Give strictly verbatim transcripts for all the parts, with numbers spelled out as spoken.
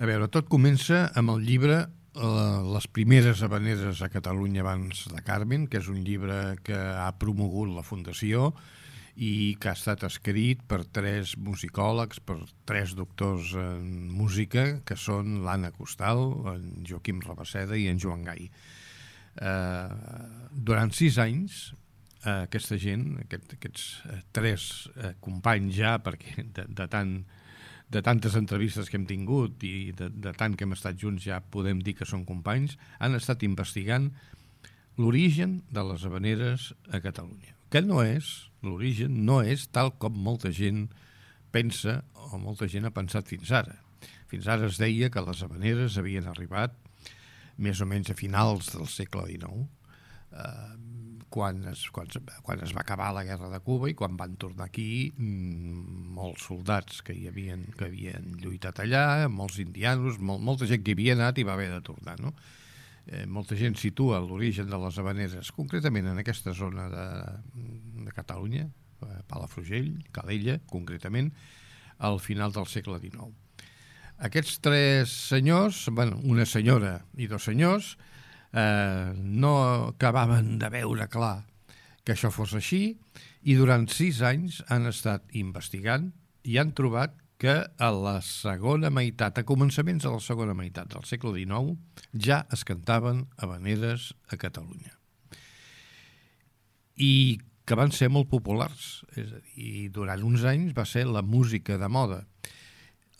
A veure, tot comença amb el llibre eh, Les primeres havaneres a Catalunya abans de Carmen, que és un llibre que ha promogut la Fundació i que ha estat escrit per tres musicòlegs, per tres doctors en música, que són l'Anna Costal, en Joaquim Rabaseda i en Joan Gai. Eh, durant sis anys, eh, aquesta gent, aquest, aquests eh, tres eh, companys ja, perquè de, de tant... de tantes entrevistes que hem tingut i de, de tant que hem estat junts ja podem dir que són companys, han estat investigant l'origen de les havaneres a Catalunya. Que no és, l'origen no és tal com molta gent pensa o molta gent ha pensat fins ara. Fins ara es deia que les havaneres havien arribat més o menys a finals del segle dinou, eh, quan es, quan, quan es va acabar la guerra de Cuba i quan van tornar aquí mmm, molts soldats que hi havien, que havien lluitat allà, molts indianos, mol, molta gent que hi havia anat i va haver de tornar, no? Eh, molta gent situa l'origen de les havaneres, concretament en aquesta zona de, de Catalunya, Palafrugell, Calella, concretament, al final del segle dinou. Aquests tres senyors, bueno, una senyora i dos senyors, Eh, no acabaven de veure clar que això fos així i durant sis anys han estat investigant i han trobat que a la segona meitat, a començaments de la segona meitat del segle dinou, ja es cantaven havaneres a Catalunya. I que van ser molt populars, és a dir, durant uns anys va ser la música de moda.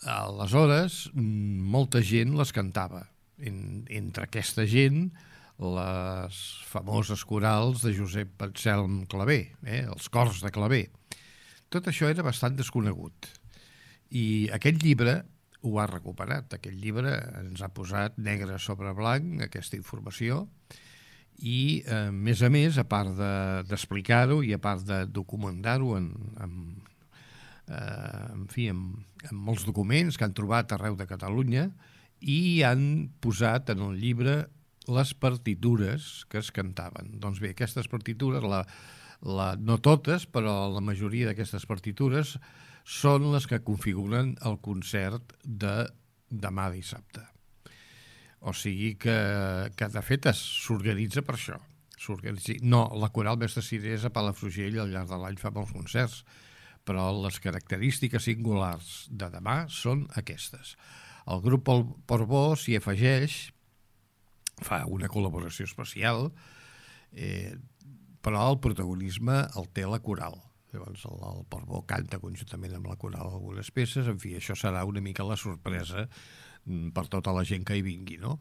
Aleshores, molta gent les cantava. En, entre aquesta gent, les famoses corals de Josep Anselm Clavé, eh, els cors de Clavé. Tot això era bastant desconegut. I aquest llibre ho ha recuperat. Aquest llibre ens ha posat negre sobre blanc aquesta informació i, a eh, més a més, a part de, d'explicar-ho i a part de documentar-ho en, en, eh, en fi, en, en molts documents que han trobat arreu de Catalunya, i han posat en el llibre les partitures que es cantaven. Doncs bé, aquestes partitures, la, la, no totes, però la majoria d'aquestes partitures són les que configuren el concert de demà dissabte. O sigui que, que de fet s'organitza per això. No, la Coral Mestre Cirés a Palafrugell al llarg de l'any fa molts concerts, però les característiques singulars de demà són aquestes. El grup Portbó s'hi afegeix, fa una col·laboració especial, eh, però el protagonisme el té la coral. Llavors el, el Portbó canta conjuntament amb la coral algunes peces, en fi, això serà una mica la sorpresa per tota la gent que hi vingui, no?